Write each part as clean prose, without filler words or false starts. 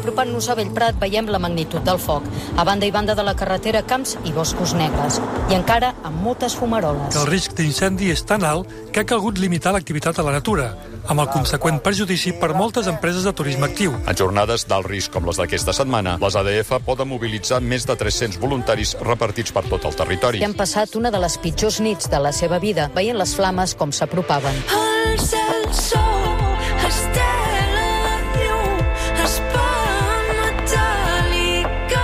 Apropant-nos a Bellprat veiem la magnitud del foc. A banda i banda de la carretera, camps i boscos negres. I encara amb moltes fumaroles. Que el risc d'incendi és tan alt que ha calgut limitar l'activitat a la natura, amb el conseqüent perjudici per moltes empreses de turisme actiu. En jornades d'alt risc com les d'aquesta setmana, les ADF poden mobilitzar més de 300 voluntaris repartits per tot el territori. Que han passat una de les pitjors nits de la seva vida, veient les flames com s'apropaven. El cel sol estela llum, espant metàl·lica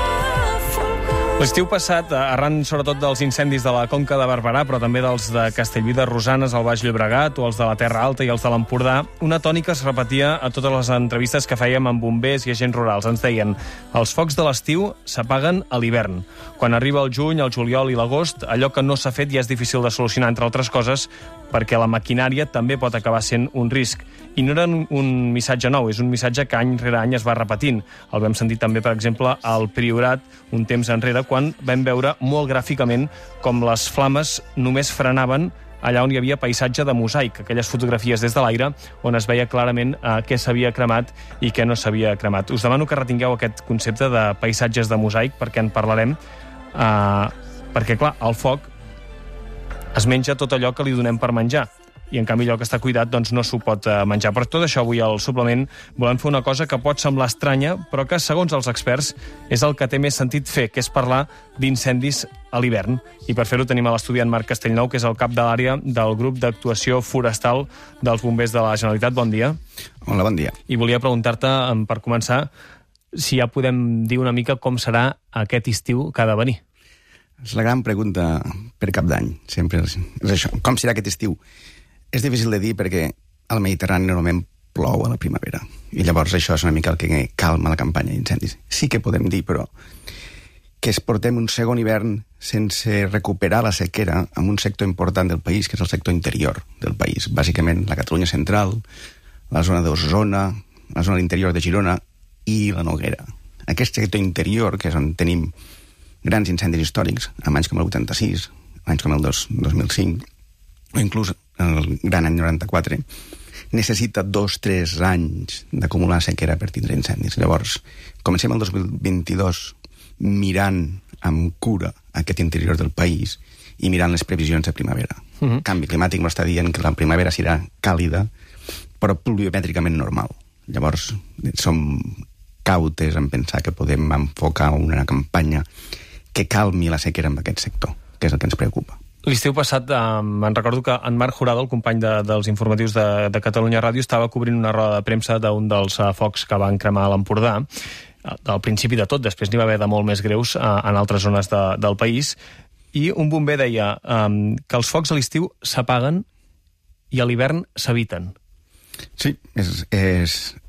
fulgor. L'estiu passat, arran sobretot dels incendis de la Conca de Barberà, però també dels de Castellví de Rosanes, al Baix Llobregat, o els de la Terra Alta i els de l'Empordà, una tònica es repetia a totes les entrevistes que fèiem amb bombers i agents rurals. Ens deien, els focs de l'estiu s'apaguen a l'hivern. Quan arriba el juny, el juliol i l'agost, allò que no s'ha fet ja és difícil de solucionar, entre altres coses, perquè la maquinària també pot acabar sent un risc. I no era un missatge nou, és un missatge que any rere any es va repetint. El vam sentir també, per exemple, al Priorat, un temps enrere, quan vam veure molt gràficament com les flames només frenaven allà on hi havia paisatge de mosaic, aquelles fotografies des de l'aire on es veia clarament què s'havia cremat i què no s'havia cremat. Us demano que retingueu aquest concepte de paisatges de mosaic, perquè en parlarem, perquè, clar, el foc es menja tot allò que li donem per menjar, i en canvi allò que està cuidat doncs no s'ho pot menjar. Per tot això avui al suplement volem fer una cosa que pot semblar estranya, però que segons els experts és el que té més sentit fer, que és parlar d'incendis a l'hivern. I per fer-ho tenim a l'estudi en Marc Castellnou, que és el cap de l'àrea del grup d'actuació forestal dels bombers de la Generalitat. Bon dia. Hola, bon dia. I volia preguntar-te, per començar, si ja podem dir una mica com serà aquest estiu que ha de venir. És la gran pregunta per cap d'any, sempre és això. Com serà aquest estiu? És difícil de dir perquè al Mediterrani normalment plou a la primavera, i llavors això és una mica el que calma la campanya d'incendis. Sí que podem dir, però, que portem un segon hivern sense recuperar la sequera en un sector important del país, que és el sector interior del país, bàsicament la Catalunya central, la zona d'Osona, la zona de l'interior de Girona i la Noguera. Aquest sector interior, que és on tenim grans incendis històrics, amb anys com el 86, anys com el 2005, o inclús el gran any 94, necessita 2-3 anys d'acumular sequera per tindre incendis. Llavors, comencem el 2022 mirant amb cura aquest interior del país i mirant les previsions de primavera. Canvi climàtic m'està dient que la primavera serà càlida, però pluviomètricament normal. Llavors, som cautes en pensar que podem enfocar una campanya que calmi la sequera en aquest sector, que és el que ens preocupa. L'estiu passat, me'n recordo que en Marc Jurado, el company dels informatius de Catalunya Ràdio, estava cobrint una roda de premsa d'un dels focs que van cremar a l'Empordà, al principi de tot, després n'hi va haver de molt més greus en altres zones del país, i un bomber deia que els focs a l'estiu s'apaguen i a l'hivern s'eviten. Sí, és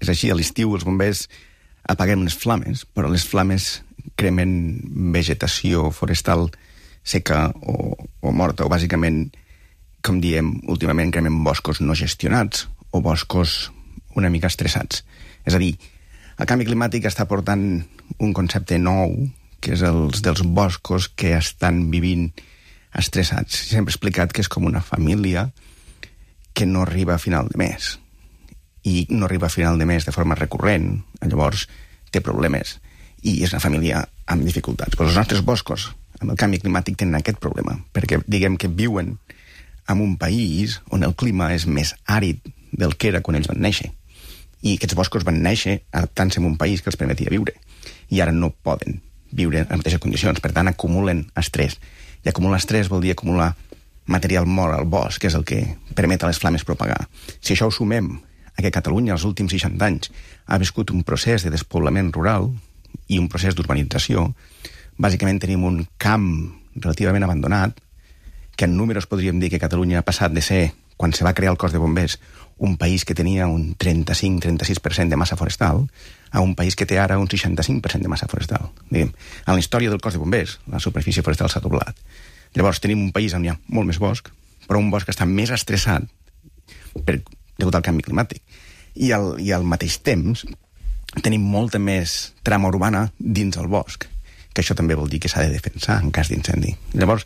així. A l'estiu els bombers apaguem les flames, però les flames cremen vegetació forestal seca o morta, o bàsicament, com diem, últimament cremen boscos no gestionats o boscos una mica estressats. És a dir, el canvi climàtic està portant un concepte nou, que és els dels boscos que estan vivint estressats. Sempre he explicat que és com una família que no arriba a final de mes, i no arriba a final de mes de forma recurrent, llavors té problemes, i és una família amb dificultats. Però els nostres boscos, amb el canvi climàtic, tenen aquest problema, perquè diguem que viuen en un país on el clima és més àrid del que era quan ells van néixer. I aquests boscos van néixer adaptant-se a un país que els permetia viure. I ara no poden viure en les mateixes condicions, per tant acumulen estrès. I acumular estrès vol dir acumular material mort al bosc, que és el que permet a les flames propagar. Si això ho sumem a que Catalunya els últims 60 anys ha viscut un procés de despoblament rural i un procés d'urbanització, bàsicament tenim un camp relativament abandonat, que en números podríem dir que Catalunya ha passat de ser, quan se va crear el cos de bombers, un país que tenia un 35-36% de massa forestal, a un país que té ara un 65% de massa forestal. Diguem, en la història del cos de bombers, la superfície forestal s'ha doblat. Llavors tenim un país on hi ha molt més bosc, però un bosc que està més estressat degut al canvi climàtic. I al mateix temps tenim molta més trama urbana dins el bosc, que això també vol dir que s'ha de defensar en cas d'incendi. Llavors,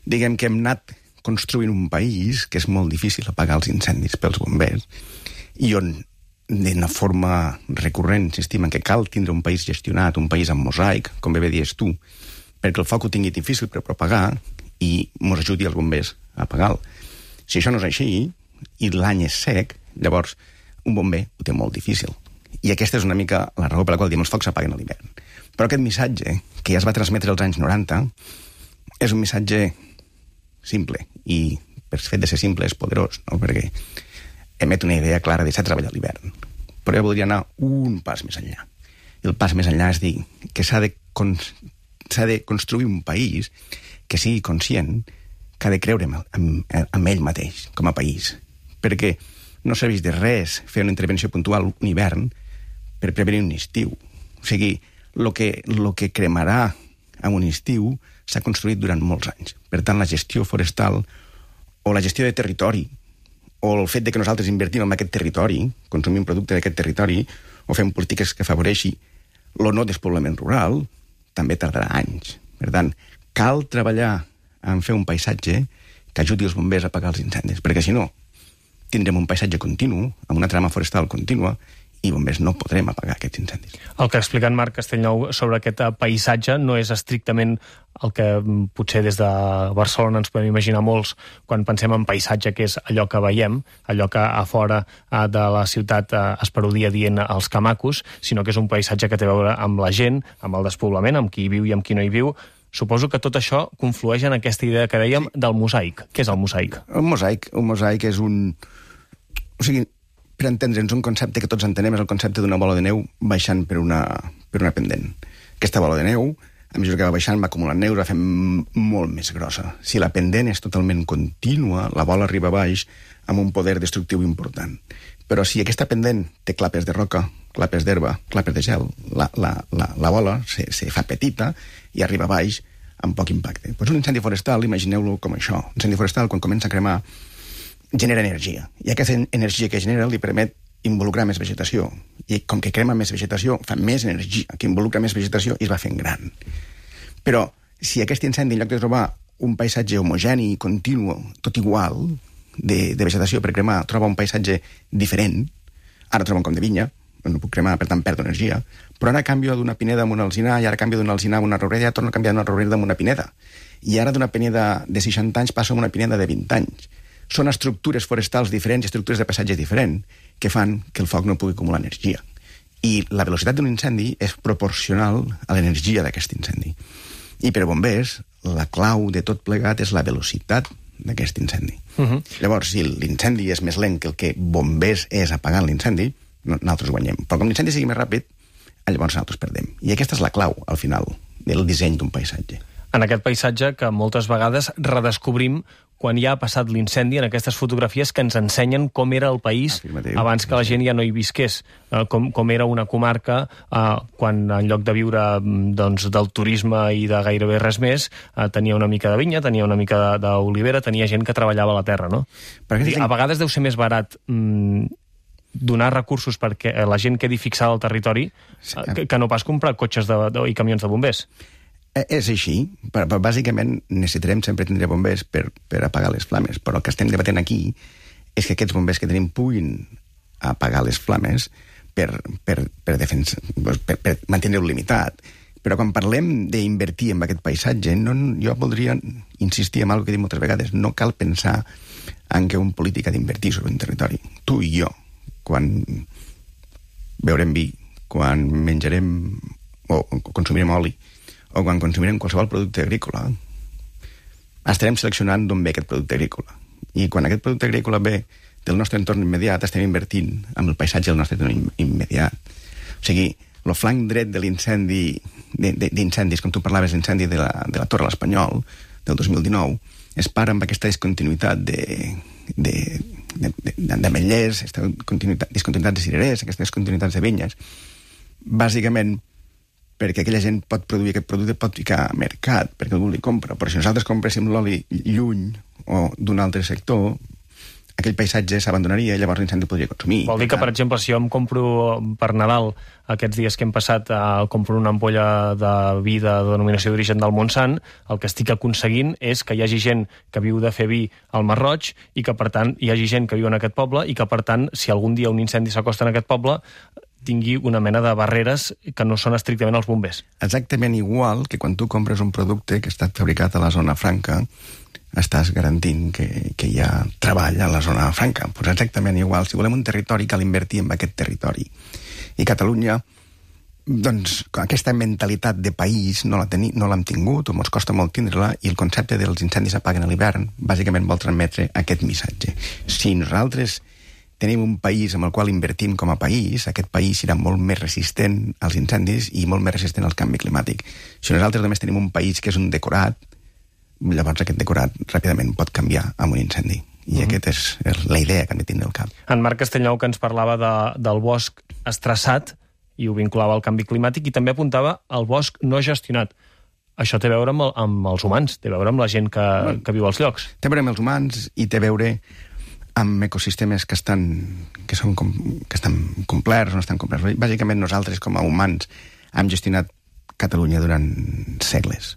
diguem que hem anat construint un país que és molt difícil apagar els incendis pels bombers, i on d'una forma recurrent insistim en que cal tindre un país gestionat, un país amb mosaic, com bé dius tu, perquè el foc ho tingui difícil per propagar i mos ajudi els bombers a apagar-lo. Si això no és així, i l'any és sec, llavors un bomber ho té molt difícil. I aquesta és una mica la raó per la qual diem els focs s'apaguen a l'hivern. Però aquest missatge, que ja es va transmetre als anys 90, és un missatge simple, i per fet de ser simple és poderós, no? Perquè emet una idea clara de deixar treballar a l'hivern. Però jo voldria anar un pas més enllà. I el pas més enllà és dir que s'ha de construir un país que sigui conscient que ha de creure en ell mateix, com a país. Perquè no serveix de res fer una intervenció puntual un hivern per prevenir un estiu. O sigui, el que cremarà en un estiu s'ha construït durant molts anys. Per tant, la gestió forestal o la gestió de territori o el fet de que nosaltres invertim en aquest territori, consumim producte d'aquest territori, o fem polítiques que afavoreixi el no despoblament rural, també tardarà anys. Per tant, cal treballar en fer un paisatge que ajudi els bombers a apagar els incendis, perquè si no, tindrem un paisatge continu, amb una trama forestal contínua, i bombers no podrem apagar aquests incendis. El que ha explicat Marc Castellnou sobre aquest paisatge no és estrictament el que potser des de Barcelona ens podem imaginar molts quan pensem en paisatge, que és allò que veiem, allò que a fora de la ciutat es parodia dient els camacos, sinó que és un paisatge que té a veure amb la gent, amb el despoblament, amb qui hi viu i amb qui no hi viu. Suposo que tot això conflueix en aquesta idea que dèiem del mosaic. Què és el mosaic? Un mosaic és un... O sigui, per entendre'ns, un concepte que tots entenem és el concepte d'una bola de neu baixant per una pendent. Aquesta bola de neu, a mesura que va baixant, va acumulant neu, va fent molt més grossa. Si la pendent és totalment contínua, la bola arriba baix amb un poder destructiu important. Però si aquesta pendent té clapes de roca, clapes d'herba, clapes de gel, la bola se fa petita i arriba baix amb poc impacte. Pues un incendi forestal, imagineu-lo com això. Un incendi forestal, quan comença a cremar, genera energia. I aquesta energia que genera li permet involucrar més vegetació. I com que crema més vegetació, fa més energia, que involucra més vegetació i es va fent gran. Però si aquest incendi, en lloc de trobar un paisatge homogeni, continu, tot igual, de vegetació per cremar, troba un paisatge diferent, ara troba un com de vinya, no puc cremar, per tant perdo energia, però ara canvio d'una pineda amb una alzinar, i ara canvio d'una alzinar amb una roureda, ja torno a canviar d'una roureda amb una pineda. I ara d'una pineda de 60 anys passo a una pineda de 20 anys. Són estructures forestals diferents, estructures de paisatge diferents, que fan que el foc no pugui acumular energia. I la velocitat d'un incendi és proporcional a l'energia d'aquest incendi. I per bombers, la clau de tot plegat és la velocitat d'aquest incendi. Llavors, si l'incendi és més lent que el que bombers és apagant l'incendi, nosaltres guanyem. Però com l'incendi sigui més ràpid, llavors nosaltres perdem. I aquesta és la clau, al final, del disseny d'un paisatge. En aquest paisatge que moltes vegades redescobrim quan ja ha passat l'incendi, en aquestes fotografies que ens ensenyen com era el país abans que la gent ja no hi visqués, com era una comarca quan en lloc de viure del turisme i de gairebé res més, tenia una mica de vinya, tenia una mica d'olivera, tenia gent que treballava la terra, no? A vegades deu ser més barat donar recursos perquè la gent quedi fixada al territori que no pas comprar cotxes i camions de bombers. És així, però bàsicament necessitarem sempre tindre bombers per apagar les flames, però el que estem debatent aquí és que aquests bombers que tenim puguin apagar les flames per mantenir-ho limitat. Però quan parlem d'invertir en aquest paisatge, jo voldria insistir en una cosa que he dit moltes vegades, no cal pensar en que un polític ha d'invertir sobre un territori. Tu i jo, quan beurem vi, quan menjarem o consumirem oli, o quan consumirem qualsevol producte agrícola, estarem seleccionant d'on ve aquest producte agrícola. I quan aquest producte agrícola ve del nostre entorn immediat, estem invertint en el paisatge del nostre entorn immediat. O sigui, el flanc dret de l'incendi, d'incendis, com tu parlaves, l'incendi de la Torre de l'Espanyol, del 2019, es para amb aquesta discontinuïtat d'ametllers, discontinuïtat de cirerers, aquestes discontinuïtats de vinyes, bàsicament perquè aquella gent pot produir aquest producte, pot ficar a mercat, perquè algú li compra. Però si nosaltres compréssim l'oli lluny o d'un altre sector, aquell paisatge s'abandonaria i llavors l'incendi podria consumir. Vol dir que, per exemple, si jo em compro per Nadal aquests dies que hem passat, compro una ampolla de vi de denominació d'origen del Montsant, el que estic aconseguint és que hi hagi gent que viu de fer vi al Mar Roig i que, per tant, hi hagi gent que viu en aquest poble i que, per tant, si algun dia un incendi s'acosta en aquest poble, tingui una mena de barreres que no són estrictament els bombers. Exactament igual que quan tu compres un producte que ha estat fabricat a la zona franca, estàs garantint que hi ha treball a la zona franca. Pues exactament igual. Si volem un territori, cal invertir en aquest territori. I Catalunya, doncs, aquesta mentalitat de país no l'hem tingut, o ens costa molt tindre-la, i el concepte dels incendis s'apaguen a l'hivern bàsicament vol transmetre aquest missatge. Si nosaltres tenim un país amb el qual invertim com a país, aquest país serà molt més resistent als incendis i molt més resistent al canvi climàtic. Si nosaltres només tenim un país que és un decorat, llavors aquest decorat ràpidament pot canviar amb un incendi. I aquesta és la idea que hem de tindre al cap. En Marc Castellnou, que ens parlava del bosc estressat, i ho vinculava al canvi climàtic, i també apuntava al bosc no gestionat. Això té a veure amb els humans, té a veure amb la gent que viu als llocs. Té a veure amb els humans i té a veure amb ecosistemes que estan complerts o no estan complerts. Bàsicament nosaltres, com a humans, hem gestionat Catalunya durant segles.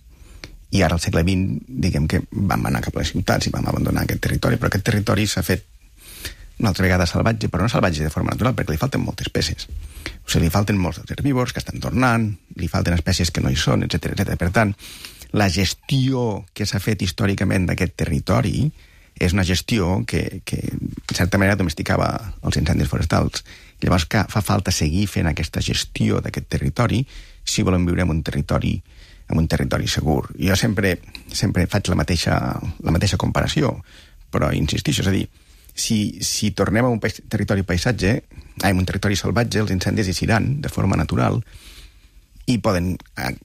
I ara, al segle XX, diguem que vam anar cap a les ciutats i vam abandonar aquest territori, però aquest territori s'ha fet una altra vegada salvatge, però no salvatge de forma natural, perquè li falten moltes espècies. O sigui, li falten molts dels herbívors que estan tornant, li falten espècies que no hi són, etc. Per tant, la gestió que s'ha fet històricament d'aquest territori és una gestió que en certa manera domesticava els incendis forestals. Llavors que fa falta seguir fent aquesta gestió d'aquest territori si volem viure en un territori segur. Jo sempre faig la mateixa comparació, però insistixo, és a dir, si tornem a un territori paisatge, en un territori salvatge, els incendis hi seran de forma natural i poden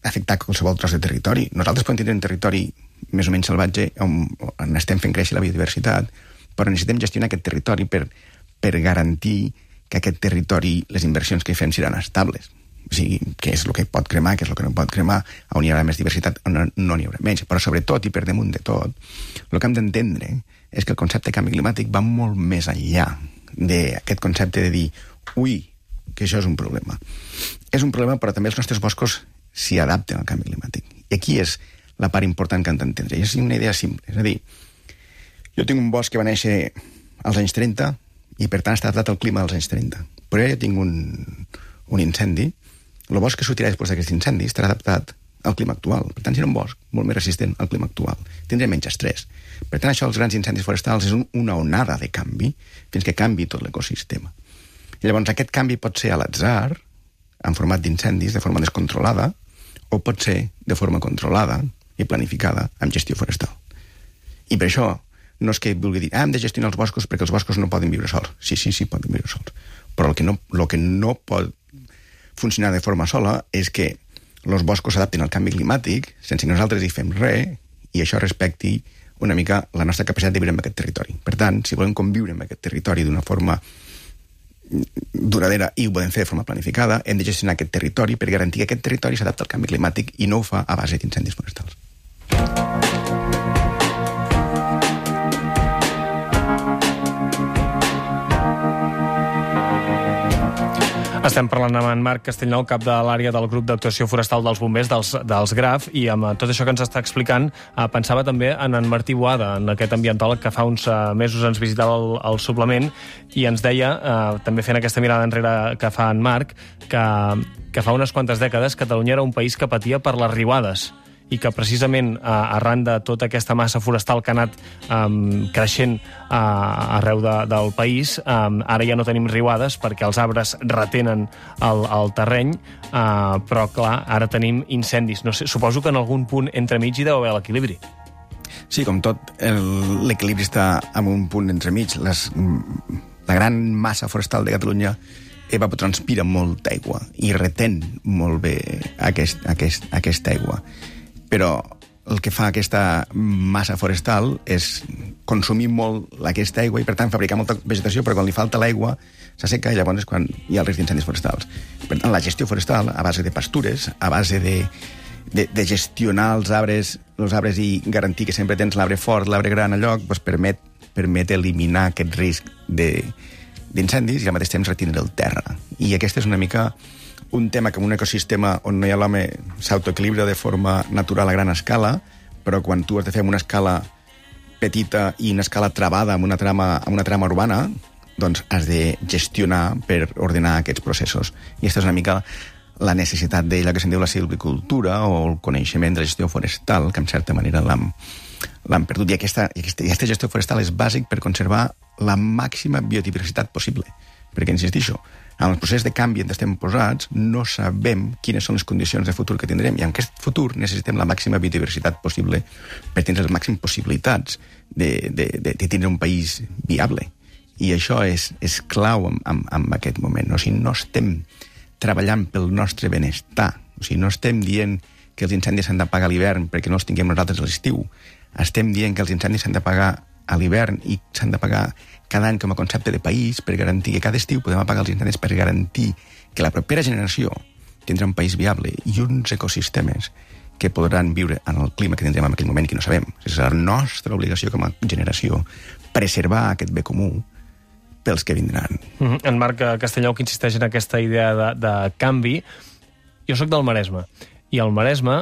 afectar qualsevol tros de territori. Nosaltres podem tenir un territori més o menys salvatge on estem fent créixer la biodiversitat, però necessitem gestionar aquest territori per garantir que aquest territori, les inversions que hi fem seran estables. O sigui, què és el que pot cremar, què és el que no pot cremar, on hi haurà més diversitat, on no n'hi haurà menys. Però sobretot, i per damunt de tot, el que hem d'entendre és que el concepte de canvi climàtic va molt més enllà d'aquest concepte de dir, ui, que això és un problema. És un problema, però també els nostres boscos s'hi adapten al canvi climàtic. I aquí és la part important que hem d'entendre. I és una idea simple. És a dir, jo tinc un bosc que va néixer als anys 30 i, per tant, està adaptat al clima dels anys 30. Però jo tinc un incendi. El bosc que sortirà després d'aquest incendi estarà adaptat al clima actual. Per tant, serà un bosc molt més resistent al clima actual. Tindrà menys estrès. Per tant, això dels grans incendis forestals és una onada de canvi fins que canvi tot l'ecosistema. I llavors aquest canvi pot ser a l'atzar, en format d'incendis, de forma descontrolada, o pot ser de forma controlada i planificada amb gestió forestal. I per això no és que vulgui dir hem de gestionar els boscos perquè els boscos no poden viure sols. Sí, poden viure sols. Però el que no pot funcionar de forma sola és que els boscos s'adaptin al canvi climàtic sense que nosaltres hi fem res i això respecti una mica la nostra capacitat de viure en aquest territori. Per tant, si volem conviure en aquest territori d'una forma duradera i ho podem fer de forma planificada, hem de gestionar aquest territori per garantir que aquest territori s'adapta al canvi climàtic i no ho fa a base d'incendis forestals. Estem parlant amb en Marc Castellnou, cap de l'àrea del grup d'actuació forestal dels bombers dels GRAF, i amb tot això que ens està explicant pensava també en Martí Boada, en aquest ambientòleg que fa uns mesos ens visitava el suplement i ens deia, també fent aquesta mirada enrere que fa en Marc, que fa unes quantes dècades Catalunya era un país que patia per les riuades i que precisament arran de tota aquesta massa forestal que ha anat creixent arreu del país, ara ja no tenim riuades perquè els arbres retenen el terreny, però clar, ara tenim incendis. No sé, suposo que en algun punt entremig hi deu haver l'equilibri. Sí, com tot, l'equilibri està en un punt entremig. La gran massa forestal de Catalunya evapotranspira molta aigua i retén molt bé aquesta aigua. Però el que fa aquesta massa forestal és consumir molt aquesta aigua i, per tant, fabricar molta vegetació, però quan li falta l'aigua s'asseca i llavors és quan hi ha el risc d'incendis forestals. Per tant, la gestió forestal, a base de pastures, a base de gestionar els arbres i garantir que sempre tens l'arbre fort, l'arbre gran al lloc, doncs permet permet eliminar aquest risc d'incendis i al mateix temps retindre el terra. I aquest és una mica un tema que en un ecosistema on no hi ha l'home s'autoequilibra de forma natural a gran escala, però quan tu has de fer una escala petita i una escala travada amb una trama urbana, doncs has de gestionar per ordenar aquests processos. I aquesta és una mica la necessitat d'ella que se'n diu la silvicultura o el coneixement de la gestió forestal, que en certa manera l'han perdut. I aquesta gestió forestal és bàsic per conservar la màxima biodiversitat possible. Perquè, insistixo, en el procés de canvi on estem posats no sabem quines són les condicions de futur que tindrem, i en aquest futur necessitem la màxima biodiversitat possible per tindre les màximes possibilitats de tindre un país viable. I això és clau en aquest moment. O sigui, no estem treballant pel nostre benestar. O sigui, no estem dient que els incendis s'han d'apagar a l'hivern perquè no els tinguem nosaltres a l'estiu. Estem dient que els incendis s'han d'apagar a l'hivern i s'han d'apagar cada any com a concepte de país per garantir que cada estiu podem apagar els incendis per garantir que la propera generació tindrà un país viable i uns ecosistemes que podran viure en el clima que tindrem en aquell moment i que no sabem. És la nostra obligació com a generació preservar aquest bé comú pels que vindran. En Marc Castellnou, que insisteix en aquesta idea de canvi. Jo sóc del Maresme, i al Maresme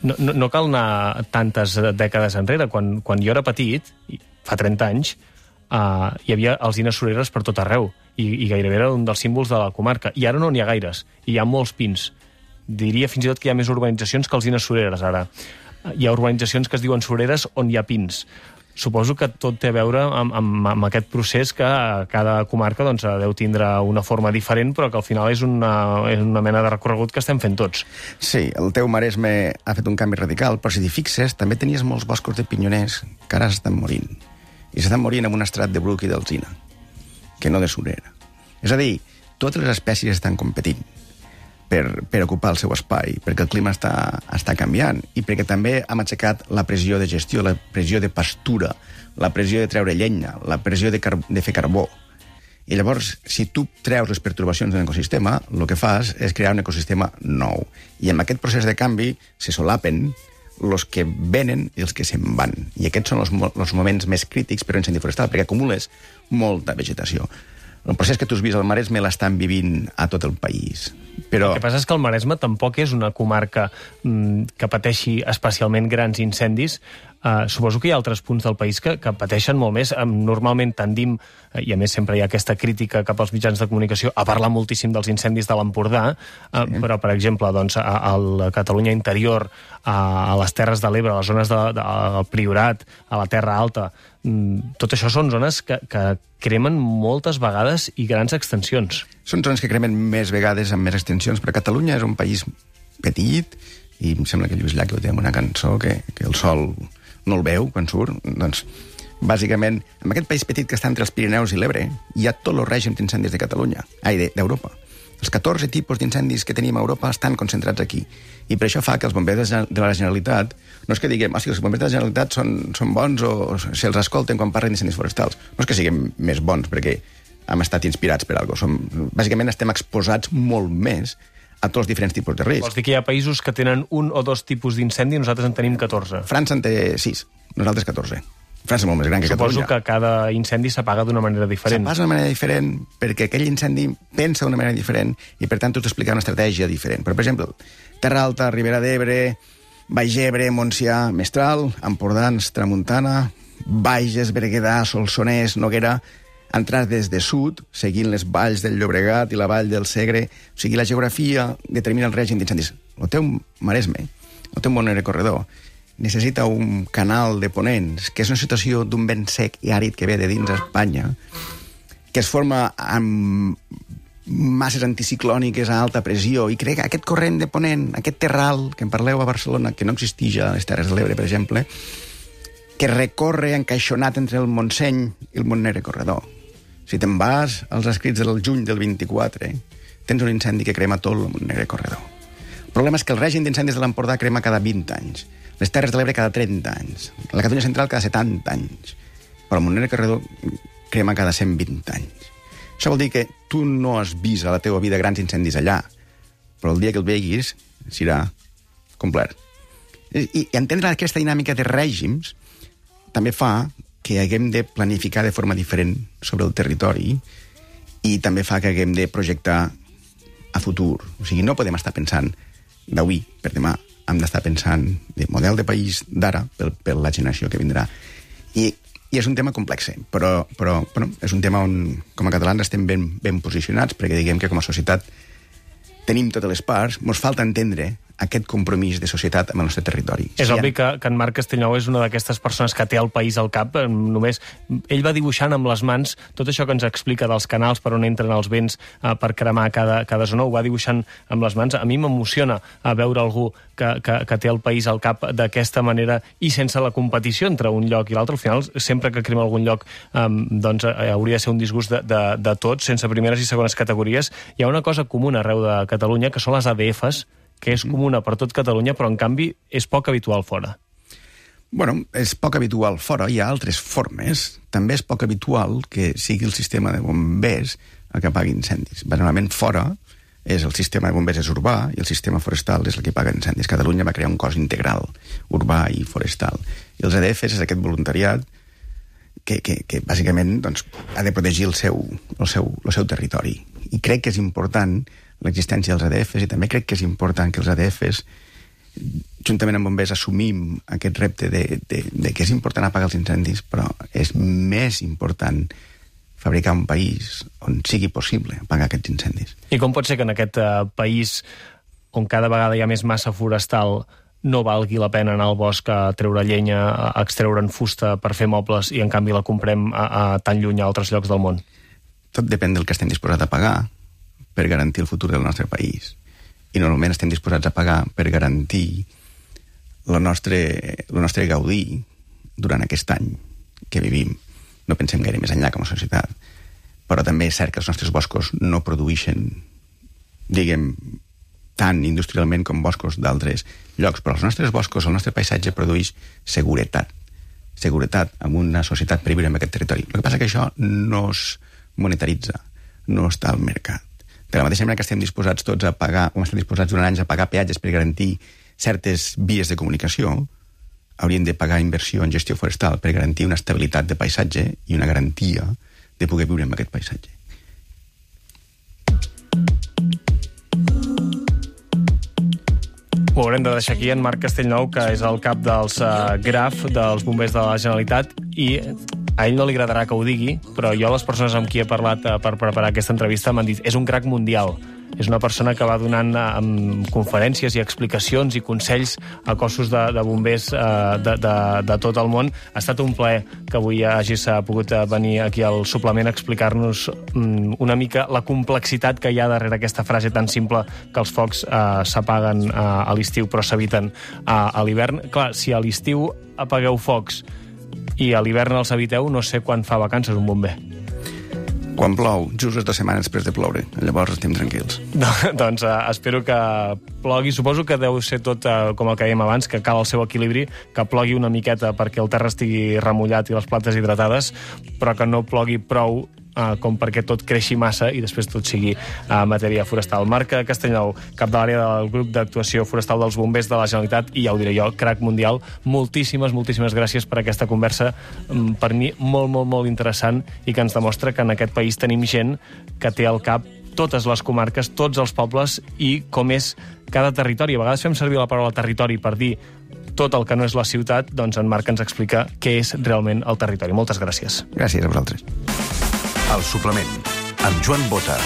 no cal anar tantes dècades enrere. Quan jo era petit, fa 30 anys, hi havia alzines sureres per tot arreu, i gairebé era un dels símbols de la comarca. I ara no n'hi ha gaires, i hi ha molts pins. Diria fins i tot que hi ha més urbanitzacions que alzines sureres, ara. Hi ha urbanitzacions que es diuen sureres on hi ha pins. Suposo que tot té a veure amb aquest procés que cada comarca doncs, deu tindre una forma diferent, però que al final és una mena de recorregut que estem fent tots. Sí, el teu Maresme ha fet un canvi radical, però si t'hi fixes, també tenies molts boscos de pinyoners que ara s'estan morint. I s'estan morint amb un estrat de bruc i d'alzina, que no de surera. És a dir, totes les espècies estan competint per ocupar el seu espai, perquè el clima està canviant i perquè també hem aixecat la pressió de gestió, la pressió de pastura, la pressió de treure llenya, la pressió de fer carbó. I llavors, si tu treus les pertorbacions d'un ecosistema, el que fas és crear un ecosistema nou. I en aquest procés de canvi se solapen els que venen i els que se'n van. I aquests són els moments més crítics per a un incendi forestal, perquè acumules molta vegetació. El procés que tu has vist al Maresme l'estan vivint a tot el país. Però... El que passa és que el Maresme tampoc és una comarca que pateixi especialment grans incendis. Suposo que hi ha altres punts del país que pateixen molt més. Normalment tendim, i a més sempre hi ha aquesta crítica cap als mitjans de comunicació, a parlar moltíssim dels incendis de l'Empordà, però, per exemple, doncs, a la Catalunya interior, a les Terres de l'Ebre, a les zones del Priorat, a la Terra Alta, tot això són zones que cremen moltes vegades i grans extensions. Són zones que cremen més vegades amb més extensions, però Catalunya és un país petit i em sembla que Lluís Llach ho té en una cançó que el sol no el veu quan surt. Doncs, bàsicament, en aquest país petit que està entre els Pirineus i l'Ebre hi ha tots els règims d'incendis de Catalunya, d'Europa. Els 14 tipus d'incendis que tenim a Europa estan concentrats aquí. I per això fa que els bombers de la Generalitat, no és que diguem, els bombers de la Generalitat són bons o se'ls escolten quan parlen d'incendis forestals. No és que siguem més bons, perquè hem estat inspirats per alguna cosa. Bàsicament estem exposats molt més a tots els diferents tipus de risc. Vols dir que hi ha països que tenen un o dos tipus d'incendi i nosaltres en tenim 14? França en té 6, nosaltres 14. França és molt més gran que Catalunya. Suposo que cada incendi s'apaga d'una manera diferent. S'apaga d'una manera diferent perquè aquell incendi pensa d'una manera diferent i, per tant, tu has d'explicar una estratègia diferent. Però, per exemple, Terra Alta, Ribera d'Ebre, Baix Ebre, Montsià, Mestral, Empordans, Tramuntana, Bages, Berguedà, Solsonès, Noguera, entrar des de sud, seguint les valls del Llobregat i la vall del Segre. O sigui, la geografia determina el règim d'incendis. El teu Maresme, el teu Montseny Corredor, necessita un canal de ponents, que és una situació d'un vent sec i àrid que ve de dins Espanya, que es forma amb masses anticiclòniques a alta pressió, i crec que aquest corrent de ponent, aquest terral, que en parleu a Barcelona, que no existeix a les Terres de l'Ebre, per exemple, que recorre encaixonat entre el Montseny i el Montseny Corredor. Si te'n vas als escrits del juny del 24, tens un incendi que crema tot el Montseny Corredor. El problema és que el règim d'incendis de l'Empordà crema cada 20 anys. Les Terres de l'Ebre cada 30 anys. La Catalunya Central cada 70 anys. Però el Montseny Corredor crema cada 120 anys. Això vol dir que tu no has vist a la teva vida grans incendis allà, però el dia que el veguis serà complet. I entendre aquesta dinàmica de règims també fa que haguem de planificar de forma diferent sobre el territori i també fa que haguem de projectar a futur. O sigui, no podem estar pensant d'avui per demà, hem d'estar pensant de model de país d'ara per la generació que vindrà. I és un tema complex, però bueno, és un tema on, com a catalans, estem ben posicionats, perquè diguem que com a societat tenim totes les parts, ens falta entendre aquest compromís de societat amb el nostre territori. És obvi que en Marc Castellnou és una d'aquestes persones que té el país al cap. Només ell va dibuixant amb les mans tot això que ens explica dels canals per on entren els vents per cremar cada zona, ho va dibuixant amb les mans. A mi m'emociona veure algú que té el país al cap d'aquesta manera i sense la competició entre un lloc i l'altre. Al final, sempre que crema algun lloc doncs hauria de ser un disgust de tots, sense primeres i segones categories. Hi ha una cosa comuna arreu de Catalunya, que són les ADFs, que és comuna per tot Catalunya, però en canvi és poc habitual fora. Bueno, és poc habitual fora, hi ha altres formes. També és poc habitual que sigui el sistema de bombers el que apagui incendis. Normalment fora el sistema de bombers és urbà i el sistema forestal és el que apaga incendis. Catalunya va crear un cos integral, urbà i forestal. I els ADFs és aquest voluntariat que bàsicament doncs, ha de protegir el seu territori. I crec que és important l'existència dels ADFs i també crec que és important que els ADFs, juntament amb bombers, assumim aquest repte de que és important apagar els incendis, però és més important fabricar un país on sigui possible apagar aquests incendis. I com pot ser que en aquest país, on cada vegada hi ha més massa forestal, no valgui la pena anar al bosc a treure llenya, a extreure'n fusta per fer mobles i en canvi la comprem a tan lluny a altres llocs del món? Tot depèn del que estem disposats a pagar per garantir el futur del nostre país. I normalment estem disposats a pagar per garantir el nostre gaudir durant aquest any que vivim. No pensem gaire més enllà com a societat. Però també és cert que els nostres boscos no produïxen, diguem, tant industrialment com boscos d'altres llocs. Però els nostres boscos, el nostre paisatge produeix seguretat. Seguretat en una societat per viure en aquest territori. El que passa és que això no es monetaritza, no està al mercat. De la mateixa manera que estem disposats tots a pagar, o estem disposats durant anys a pagar peatges per garantir certes vies de comunicació, hauríem de pagar inversió en gestió forestal per garantir una estabilitat de paisatge i una garantia de poder viure en aquest paisatge. Ho haurem de deixar aquí en Marc Castellnou, que és el cap dels GRAF, dels bombers de la Generalitat, i a ell no li agradarà que ho digui, però jo, les persones amb qui he parlat per preparar aquesta entrevista, m'han dit és un crac mundial. És una persona que va donant conferències i explicacions i consells a cossos de bombers de tot el món. Ha estat un plaer que avui hagis pogut venir aquí al suplement a explicar-nos una mica la complexitat que hi ha darrere aquesta frase tan simple que els focs s'apaguen a l'estiu però s'eviten a l'hivern. Clar, si a l'estiu apagueu focs i a l'hivern els eviteu, no sé quan fa vacances un bomber. Quan plou, just 2 setmanes després de ploure. Llavors estem tranquils. Doncs espero que plogui. Suposo que deu ser tot com el que dèiem abans, que cal el seu equilibri, que plogui una miqueta perquè el terra estigui remullat i les plantes hidratades, però que no plogui prou com perquè tot creixi massa i després tot sigui matèria forestal. Marc Castellnou, cap de l'àrea del grup d'actuació forestal dels bombers de la Generalitat, i ja ho diré jo, crac mundial, moltíssimes gràcies per aquesta conversa, per mi molt interessant, i que ens demostra que en aquest país tenim gent que té al cap totes les comarques, tots els pobles i com és cada territori. A vegades fem servir la paraula territori per dir tot el que no és la ciutat, doncs en Marc ens explica què és realment el territori. Moltes gràcies. Gràcies a vosaltres. El suplement, amb Joan Bota.